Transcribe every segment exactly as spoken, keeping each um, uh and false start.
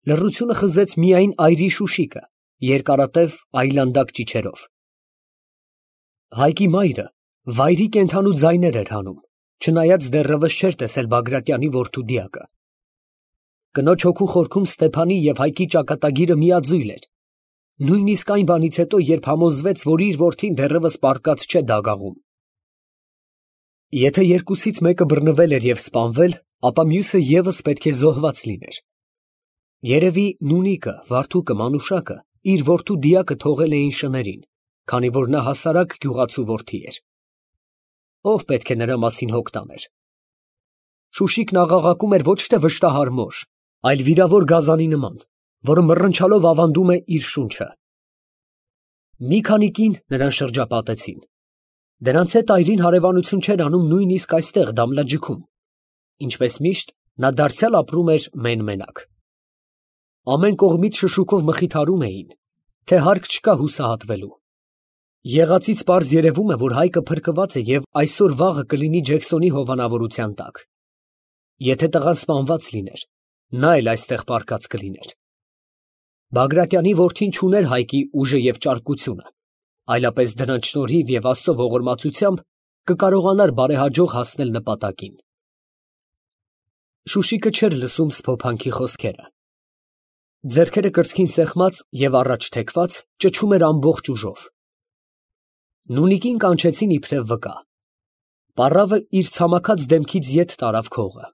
Լռությունը խզեց միայն այրի շուշիկը, երկարատև այլանդակ ճիչերով։ Հայկի մայրը վայրի կենդանու ձայներ էր հանում, չնայած դեռևս չէր տեսել Բագրատյանի որդու դիակը։ Կնոջ հոգու խորքում Ստեփանի և Հայկի ճակատագիրը միաձույլ էր, նույնիսկ այն բանից հետո, երբ համոզվեց, որ իր որդին դեռևս պառկած չէ դագաղում։ Եթե երկուսից մեկը բռնվել էր և սպանվել, ապա մյուսը ևս պետք է զոհված լիներ։ Երևի Նունիկը, Վարդուկը, Մանուշակը իր որդու դիակը թողել էին շներին, քանի որ նա հասարակ գյուղացու որդի էր։ Ո՞վ պետք է նրա մասին հոգ տաներ։ Շուշիկն աղաղակում էր ոչ թե վշտահար մոր, այլ վիրավոր գազանի նման, որը մռնչալով ավանդում է իր շունչը։ Մի քանի կին նրան շրջապատեցին։ Դրանց հետ այրին հարևանություն չէր անում նույնիսկ այստեղ Դամլաջիքում։ Ինչպես միշտ, նա դարձյալ ապրում էր մեն֊մենակ։ Ամեն կողմից շշուկով մխիթարում էին, թե հարկ չկա հուսահատվելու։ Եղածից պարզ երևում է, որ Հայկը փրկված է և այսօր֊վաղը կլինի Ջեքսոնի հովանավորության տակ։ Եթե տղան սպանված լիներ, նա էլ այստեղ պառկած կլիներ։ Բագրատյանի որդին չուներ Հայկի ուժը և ճարպկությունը, այլապես դրանց շնորհիվ և Աստծո ողորմածությամբ կկարողանար բարեհաջող հասնել նպատակին։ Շուշիկը չէր լսում Սփոփանքի խոսքերը։ Ձեռքերը կրծքին սեղմած և առաջ թեքված, ճչում էր ամբողջ ուժով։ Նունիկին կանչեցին իբրև վկա։ Պառավը իր ցամաքած դեմքից ետ տարավ քողը։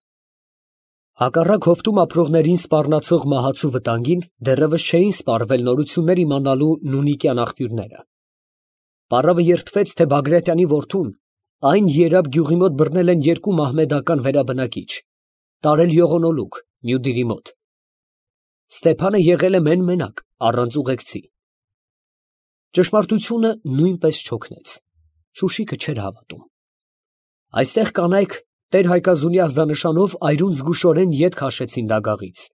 Հակառակ հովտում ապրողներին սպառնացող մահացու վտանգին դեռևս չէին սպառվել նորություններ իմանալու նունիկյան աղբյուրները։ Պառավը երդվեց, թե Բագրատյանի որդուն այն Երաբ գյուղի մոտ բռնել են երկու մահմեդական վերաբնակիչ, տարել յողոնոլուկ, Մյուդիրի մոտ։ Ստեփանը եղել է մեն֊մենակ, առանց ուղեկցի։ Ճշմարտությունը նույնպես չօգնեց։ Շուշիկը չէր հավատում։ Այստեղ կանայք տեր֊Հայկազունի ազդանշանով այրուն զգուշորեն ետ քաշեցին դագաղից,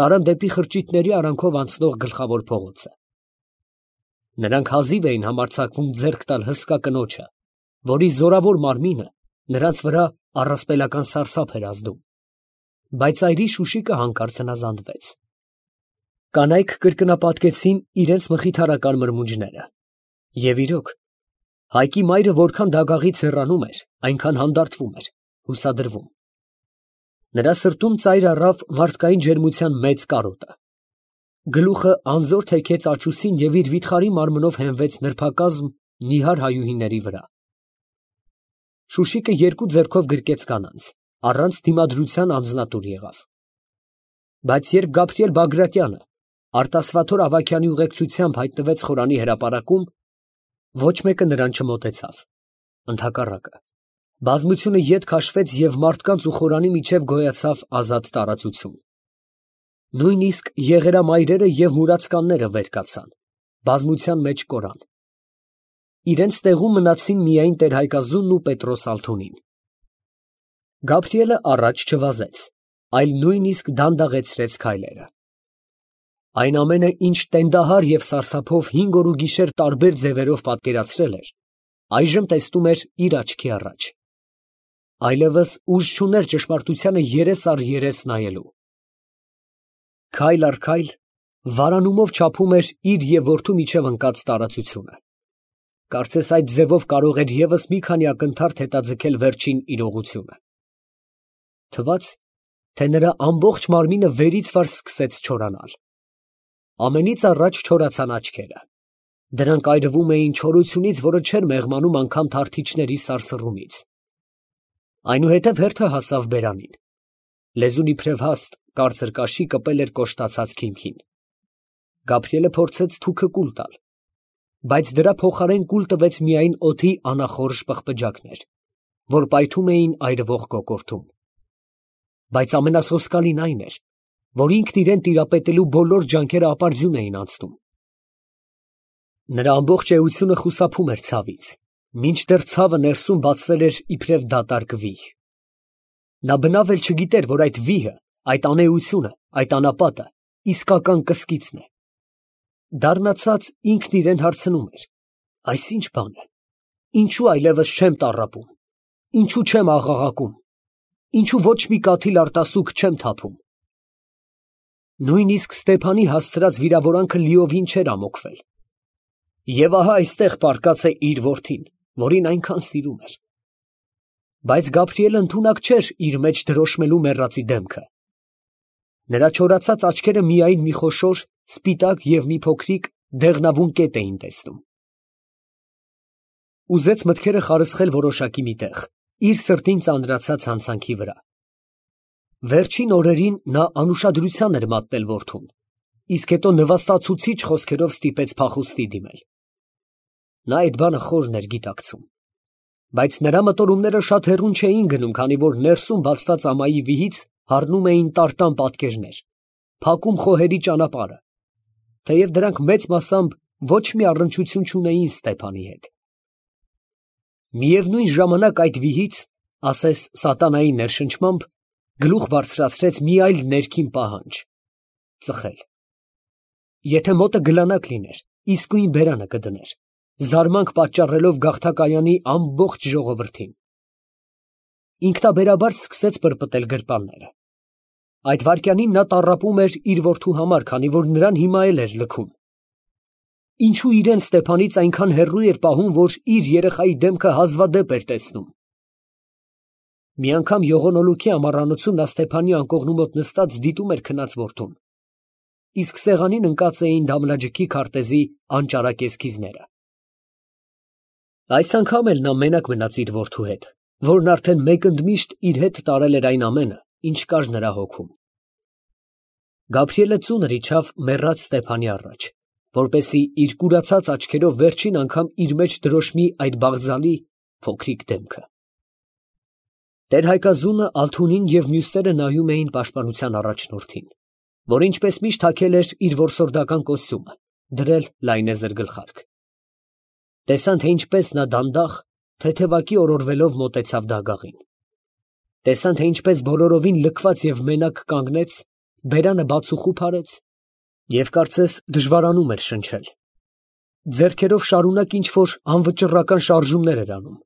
տարան դեպի խրճիթների արանքով անցնող գլխավոր փողոցը։ Նրանք հազիվ էին համարձակվում ձեռք տալ հսկա կնոջը, որի զորավոր մարմինը նրանց վրա առասպելական սարսափ էր ազդում, բայց այրի շուշիկը հանկարծ հնազանդվեց։ Կանայք կրկնապատկեցին իրենց մխիթարական մրմունջները։ Եվ իրոք, Հայկի մայրը որքան դագաղից հեռանում էր, այնքան հանդարտվում էր, հուսադրվում։ Նրա սրտում ծայր առավ մարդկային ջերմության մեծ կարոտը։ Գլուխը անզոր թեքեց աչուսին և իր վիթխարի մարմնով հենվեց նրբակազմ նիհար հայուհիների վրա։ Շուշիկը երկու ձեռքով գրկեց կանանց, առանց դիմադրության անձնատուր եղավ։ Բայց երբ Գաբրիել Բագրատյանը արտասվաթոր Ավագյանի ուղեկցությամբ հայտնվեց խորանի հրապարակում, ոչ մեկը նրան չմոտեցավ, ընդհակառակը, բազմությունը ետ քաշվեց և մարդկանց ու խորանի միջև գոյացավ ազատ տարածություն։ Նույնիսկ եղերամայրերը և մուրացկանները վեր կացան, բազմության մեջ կորան։ Իրենց տեղում մնացին միայն տեր֊Հայկազունն ու Պետրոս ալթունին։ Գաբրիելը առաջ չվազեց, այլ նույնիսկ դանդաղեցրեց քայլերը։ Այն ամենը, ինչ տենդահար և սարսափով հինգ օր ու գիշեր տարբեր ձևերով պատկերացրել էր, այժմ տեսնում էր իր աչքի առաջ։ Այլևս ուժ չուներ ճշմարտությանը երես առ երես նայելու։ Քայլ առ քայլ վարանումով չափում էր իր և որդու միջև ընկած տարածությունը։ Կարծես այդ ձևով կարող էր ևս մի քանի ակնթարթ հետաձգել վերջին իրողությունը։ Թվաց, թե նրա ամբողջ մարմինը վերից վար սկսեց չորանալ։ Ամենից առաջ չորացան աչքերը։ Դրանք այրվում էին չորությունից, որը չէր մեղմանում անգամ թարթիչների սարսռումից։ Այնուհետև հերթը հասավ բերանին։ Լեզուն իբրև հաստ, կարծր կաշի կպել էր կոշտացած քիմքին։ Գաբրիելը փորձեց թուքը կուլ տալ, բայց դրա փոխարեն կուլ տվեց միայն օդի անախորժ պղպջակներ, որ պայթում էին այրվող կոկորդում։ Բայց ամենասոսկալին այն էր, որ ինքն իրան տիրապետելու բոլոր ջանքերը ապարդյուն էին անցնում։ Նրա ամբողջ էությունը խուսափում էր ցավից, մինչդեռ ցավը ներսում բացվել էր իբրև դատարկ վիհ։ Նա բնավ էլ չգիտեր, որ այդ վիհը, այդ անէությունը, այդ անապատը իսկական կսկիծն է։ Դառնացած ինքն իրան հարցնում էր. այս ի՞նչ բան է, ինչո՞ւ այլևս չեմ տառապում, ինչո՞ւ չեմ աղաղակում, ինչո՞ւ ոչ մի կաթիլ արտասուք չեմ թափում։ Նույնիսկ Ստեփանի հասցրած վիրավորանքը լիովին չէր ամոկվել։ Եվ ահա այստեղ պառկած է իր որդին, որին այնքան սիրում էր։ Բայց Գաբրիելը ընդունակ չէր իր մեջ դրոշմելու մեռածի դեմքը։ Նրա չորացած աչքերը միայն մի խոշոր, սպիտակ և մի փոքրիկ դեղնավուն կետ էին տեսնում։ Ուզեց մտքերը խարսխել որոշակի մի տեղ, իր սրտին ծանրացած հանցանքի վրա։ Վերջին օրերին նա անուշադրության էր մատնել որդուն, իսկ հետո նվաստացուցիչ խոսքերով ստիպեց փախուստի դիմել։ Նա այդ բանը խորն էր գիտակցում, բայց նրա մտորումները շատ հեռուն չէին գնում, քանի որ ներսում բացված ամայի վիհից հառնում էին տարտան պատկերներ, փակում խոհերի ճանապարհը, թեև դրանք մեծ մասամբ ոչ մի առնչություն չունեին Ստեփանի հետ։ Միևնույն ժամանակ այդ վիհից, ասես սատանայի ներշնչմամբ, գլուխ բարձրացրեց մի այլ ներքին պահանջ՝ ծխել։ Եթե մոտը գլանակ լիներ, իսկույն բերանը կդներ, զարմանք պատճառելով գաղթակայանի ամբողջ ժողովրդին։ Ինքնաբերաբար սկսեց պրպտել գրպանները։ Այդ վայրկյանին նա տառապում էր իր որդու համար, քանի որ նրան հիմա էլ էր լքում։ Ինչու իրեն Ստեփանից այնքան հեռու էր պահում, որ իր երեխայի դեմքը հազվադեպ էր տեսնում։ Մի անգամ յողոնոլուքի ամառանոցում նա Ստեփանի անկողնու մոտ նստած դիտում էր քնած որդուն, իսկ սեղանին ընկած էին դամլաջքի քարտեզի անճարակ էսքիզները։ Այս անգամ էլ նա մենակ մնաց իր որդու հետ, որն արդեն մեկ ընդմիշտ իր հետ տարել էր այն ամենը, ինչ կար նրա հոգում։ Գաբրիելը ծունր իջավ մեռած Ստեփանի առաջ, որպեսզի իր կուրացած աչքերով վերջին անգամ իր մեջ դրոշմի այդ բաղձալի փոքրիկ դեմքը։ Տեր-Հայկազունը, Ալթունին և մյուսները նայում էին պաշտպանության առաջնորդին, որ ինչպես միշտ հագել էր իր որսորդական կոստյումը, դրել լայնեզր գլխարկ։ Տեսան, թե ինչպես նա դանդաղ, թեթևակի օրորվելով մոտեցավ դագաղին։ Տեսան, թե ինչպես բոլորովին լքված և մենակ կանգնեց, բերանը բացուխուփ արեց և կարծես դժվարանում էր շնչել։ Ձեռքերով շարունակ ինչ֊որ անվճռական շարժումներ էր անում։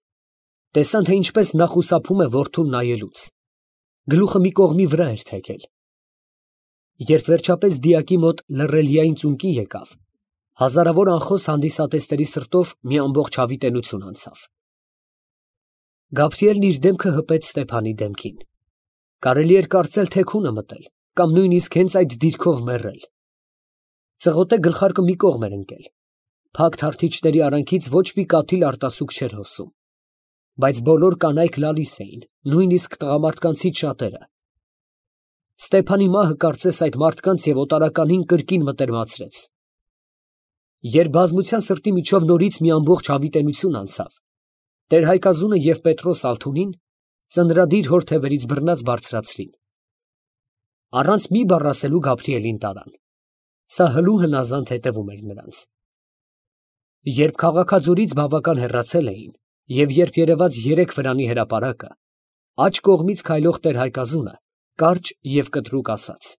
Տեսան, թե ինչպես նա խուսափում է որդուն նայելուց։ Գլուխը մի կողմի վրա էր թեքել։ Երբ վերջապես դիակի մոտ լռելիային ծունկի եկավ, հազարավոր անխոս հանդիսատեսների սրտով մի ամբողջ հավիտենություն անցավ։ Գաբրիելն իր դեմքը հպեց Ստեփանի դեմքին։ Կարելի էր կարծել թեքուն է մտել, կամ նույնիսկ հենց այդ դիրքով մեռել։ Ծղոտե գլխարկը մի կողմ էր ընկել։ Փակ թարթիչների արանքից ոչ մի կաթիլ արտասուք չէր հոսում, բայց բոլոր կանայք լալիս էին, նույնիսկ տղամարդկանցից շատերը։ Ստեփանի մահը կարծես այդ մարդկանց և օտարականին կրկին մտերմացրեց։ Երբ բազմության սրտի միջով նորից մի ամբողջ հավիտենություն անցավ, Տեր-Հայկազունը և Պետրոս Ալթունին ծնրադիր հոր թևերից բռնած բարձրացրին։ Առանց մի բառ ասելու Գաբրիելին տարան։ Սա հլու հնազանդ հետևում էր նրանց։ Երբ քաղաքաձորից բավական հեռացել էին, և երբ երևաց երեք վրանի հրապարակը, աջ կողմից քայլող Տեր-Հայկազունը կարճ և կտրուկ ասաց.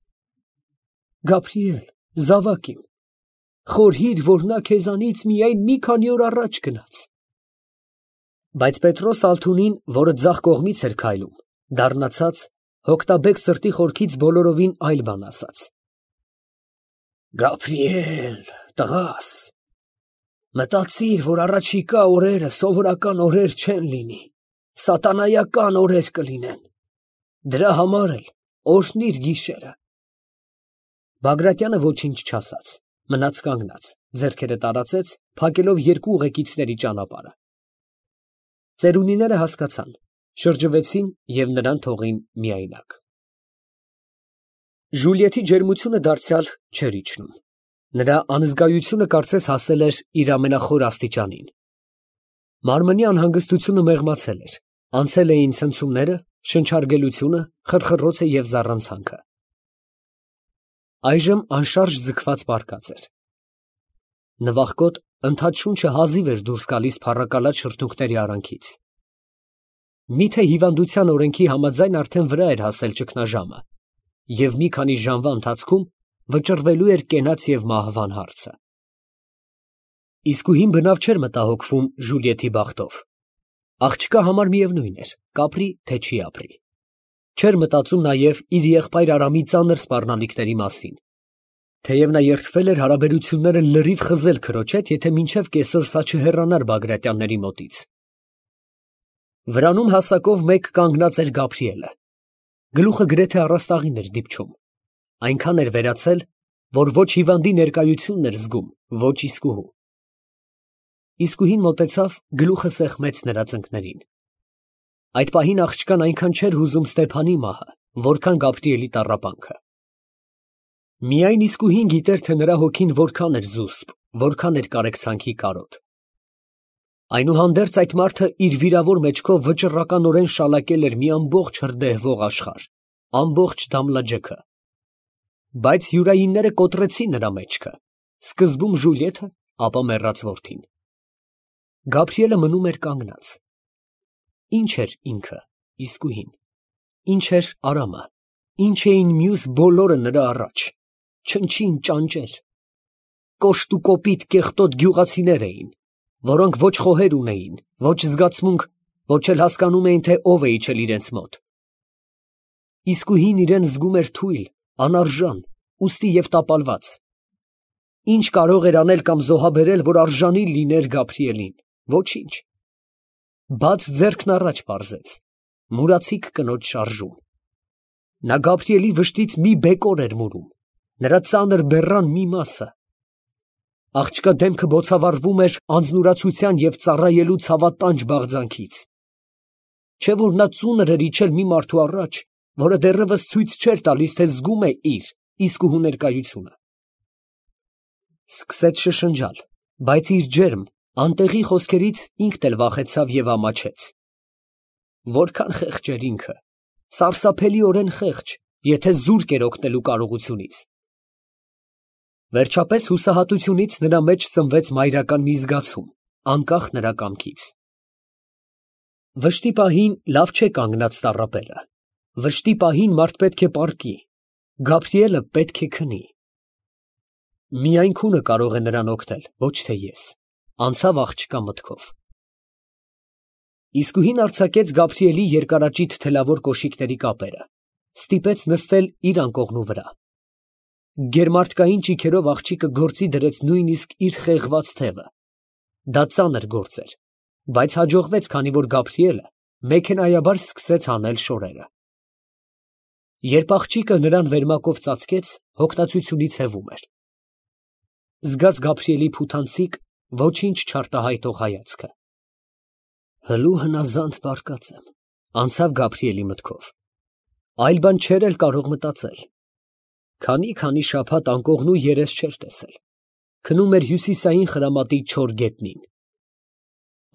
«Գաբրիել, զավակ իմ, խորհիր, որ նա քեզանից միայն մի քանի օր առաջ գնաց»։ Բայց Պետրոս Ալթունին, որը ձախ կողմից էր քայլում, դառնացած, հոգտաբեկ սրտի խորքից բոլորովին այլ բան ասաց. «Գաբրիել, տղաս, մտածիր, որ առաջիկա օրերը սովորական օրեր չեն լինի, սատանայական օրեր կլինեն, դրա համար էլ օրհնիր գիշերը»։ Բագրատյանը ոչինչ չասաց, մնաց կանգնած, ձեռքերը տարածեց, փակելով երկու ուղեկիցների ճանապարհը։ Ծերունիները հասկացան, շրջվեցին և նրան թողին միայնակ։ Ժուլիեթի ջերմությունը դարձյալ չէր իջնում։ Նրա անզգայությունը կարծես հասել էր իր ամենախոր աստիճանին։ Մարմնի անհանգստությունը մեղմացել էր, անցել էին ցնցումները, շնչարգելությունը, խրխռոցը և զառանցանքը։ Այժմ անշարժ ձգված պառկած էր։ Նվախկոտ ընդհատշունչը հազիվ էր դուրս գալիս փառակալած շրթունքների արանքից։ Միթե հիվանդության օրենքի համաձայն արդեն վրա էր հասել ճգնաժամը, և մի քանի ժամվա ընթացքում վճռվելու էր կենաց և մահվան հարցը։ Իսկույն բնավ չէր մտահոգվում Ժուլիեթի բախտով։ Աղջկա համար միևնույն էր, կապրի, թե չի ապրի։ Չէր մտածում նաև իր եղբայր Արամի ծանր սպառնալիքների մասին. թեև նա երդվել էր հարաբերությունները լրիվ խզել քրոջ հետ, եթե մինչև կեսօր սա չհեռանար Բագրատյանների մոտից։ Վրանում հասակով մեկ կանգնած էր Գաբրիելը։ Գլուխը գրեթե առաստաղին էր դիպչում, այնքան էր վերացել, որ ոչ հիվանդի ներկայությունն էր զգում, ոչ իսկուհու։ Իսկուհին մոտեցավ, գլուխը սեղմեց նրա ծնկներին։ Այդ պահին աղջկան այնքան չէր հուզում Ստեփանի մահը, որքան Գաբրիելի տառապանքը։ Միայն իսկուհին գիտեր, թե նրա հոգին որքան էր զուսպ, որքան էր կարեկցանքի կարոտ։ Այնուհանդերձ այդ մարդը իր վիրավոր մեջքով վճռականորեն շալակել էր մի ամբողջ հրդեհվող աշխարհ, ամբողջ Դամլաջեքը։ Բայց յուրայինները կոտրեցին նրա մեջքը, սկզբում Ժուլիեթը, ապա մեռած որդին։ Գաբրիելը մնում էր կանգնած։ Ինչ էր ինքը, իսկուհին, ինչ էր Արամը, ինչ էին մյուս բոլորը նրա առաջ, չնչին ճանճեր, կոշտ ու կոպիտ կեղտոտ գյուղացիներ էին, որոնք ոչ խոհեր ունեին, ոչ զգացմունք, ոչ էլ հասկանում էին, թե ով է իջել իրենց մոտ։ Իսկուհին իրեն զգում էր թույլ, անարժան, ուստի և տապալված։ Ինչ կարող էր անել կամ զոհաբերել, որ արժանի լիներ Գաբրիելին, ոչինչ։ Բաց ձեռքն առաջ պարզեց, մուրացիկ կնոջ շարժում։ Նա Գաբրիելի վշտից մի բեկոր էր մուրում, նրա ծանր բեռան մի մասը։ Աղջկա դեմքը բոցավառվում էր անձնուրացության և ծառայելու ցավատանջ բաղձանքից։ Չէ՞ որ նա ծունր էր իջել մի մարդու առաջ, որը դեռևս ցույց չէր տալիս, թե զգում է իր իսկուհու ներկայությունը։ Սկսեց շշնջալ, բայց իր ջերմ, անտեղի խոսքերից ինքն էլ վախեցավ և ամաչեց։ Որքան խեղճ էր ինքը, սարսափելիորեն խեղճ, եթե զուրկ էր օգնելու կարողությունից։ Վերջապես հուսահատությունից նրա մեջ ծնվեց մայրական մի զգացում, անկախ նրա կամքից։ Վշտի պահին լավ չէ կանգնած տառապելը, վշտի պահին մարդ պետք է պառկի, Գաբրիելը պետք է քնի։ Միայն քունը կարող է նրան օգնել, ոչ թե ես, անցավ աղջկա մտքով։ Իսկուհին արձակեց Գաբրիելի երկարաճիտ թելավոր կոշիկների կապերը, ստիպեց նստել իր անկողնու վրա։ Գերմարդկային ճիգերով աղջիկը գործի դրեց նույնիսկ իր խեղված թևը։ Դա ծանր գործ էր, բայց հաջողվեց, քանի որ Գաբրիելը մեքենայաբար սկսեց հանել շորերը։ Երբ աղջիկը նրան վերմակով ծածկեց, հոգնածությունից հևում էր։ Զգաց Գաբրիելի փութանցիկ, ոչինչ չարտահայտող հայացքը։ Հլու հնազանդ բարկած եմ, անցավ Գաբրիելի մտքով։ Այլ բան չէր էլ կարող մտածել։ Քանի-քանի շաբաթ անկողնու երես չէր տեսել։ Քնում էր հյուսիսային խրամատի չոր գետնին։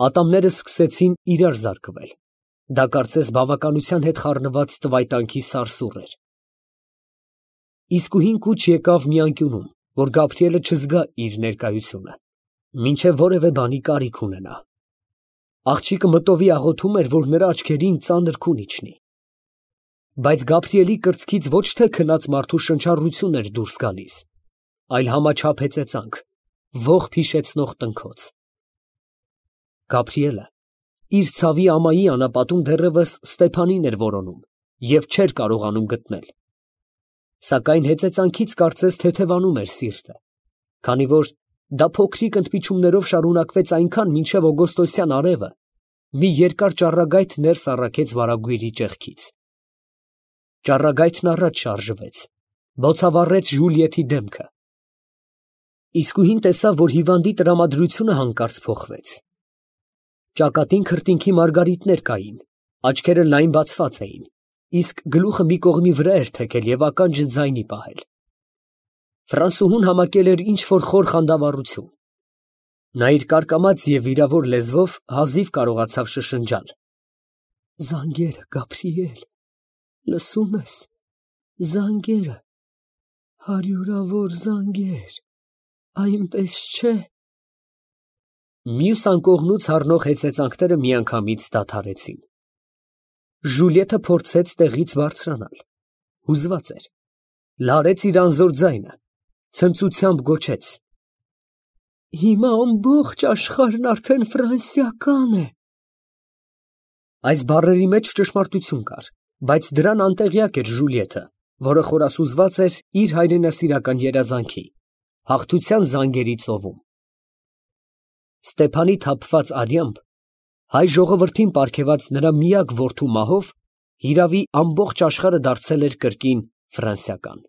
Ատամները սկսեցին իրար զարկվել։ Դա կարծես բավականության հետ խառնված տվայտանքի սարսուռ էր։ Իսկուհին կուչ եկավ մի անկյունում, որ Գաբրիելը չզգա իր ներկայությունը, մինչև որևէ բանի կարիք ունենա։ Աղջիկը մտովի աղոթում էր, որ նրա աչքերին ծանր քուն իջնի։ Բայց Գաբրիելի կրծքից ոչ թե քնած մարդու շնչառություն էր դուրս գալիս, այլ համաչափ հեծեծանք, ողբ հիշեցնող տնքոց։ Գաբրիելը իր ցավի ամայի անապատում դեռևս Ստեփանին էր որոնում և չէր կարողանում գտնել։ Սակայն հեծեծանքից կարծես թեթևանում էր սիրտը, քանի որ դա փոքրիկ ընդմիջումներով շարունակվեց այնքան, մինչև օգոստոսյան արևը մի երկար ճառագայթ ներս առաքեց վարագույրի ճեղքից։ Ճառագայթն առաջ շարժվեց, բոցավառեց Ժուլիեթի դեմքը։ Իսկուհին տեսավ, որ հիվանդի տրամադրությունը հանկարծ փոխվեց։ Ճակատին քրտինքի մարգարիտներ կային, աչքերը լայն բացված էին, իսկ գլուխը մի կողմի վրա էր թեքել և ականջը ձայնի պահել։ Ֆրանսուհուն համակել էր ինչ֊որ խոր խանդավառություն։ Նա իր կարկամած և վիրավոր լեզվով հազիվ կարողացավ շշնջալ. «Զանգերը, Գաբրիել, լսո՞ւմ ես, զանգերը, հարյուրավոր զանգեր, այնպես չէ»։ Մյուս անկողնուց հառնող հեծեծանքները միանգամից դադարեցին։ Ժուլիեթը փորձեց տեղից բարձրանալ, հուզված էր, լարեց իր անզոր ձայնը, ցնծությամբ գոչեց. «Հիմա ամբողջ աշխարհն արդեն ֆրանսիական է»։ Այս բառերի մեջ ճշմարտություն կար, Բայց դրան անտեղյակ էր Ժուլիետը, որը խորասուզված էր իր հայրենասիրական երազանքի, հաղթության զանգերի ծովում։ Ստեփանի թափված արյամբ հայ ժողովրդին պարգևած նրա միակ որդու մահով հիրավի ամբողջ աշխարհը դարձել էր կրկին ֆրանսիական։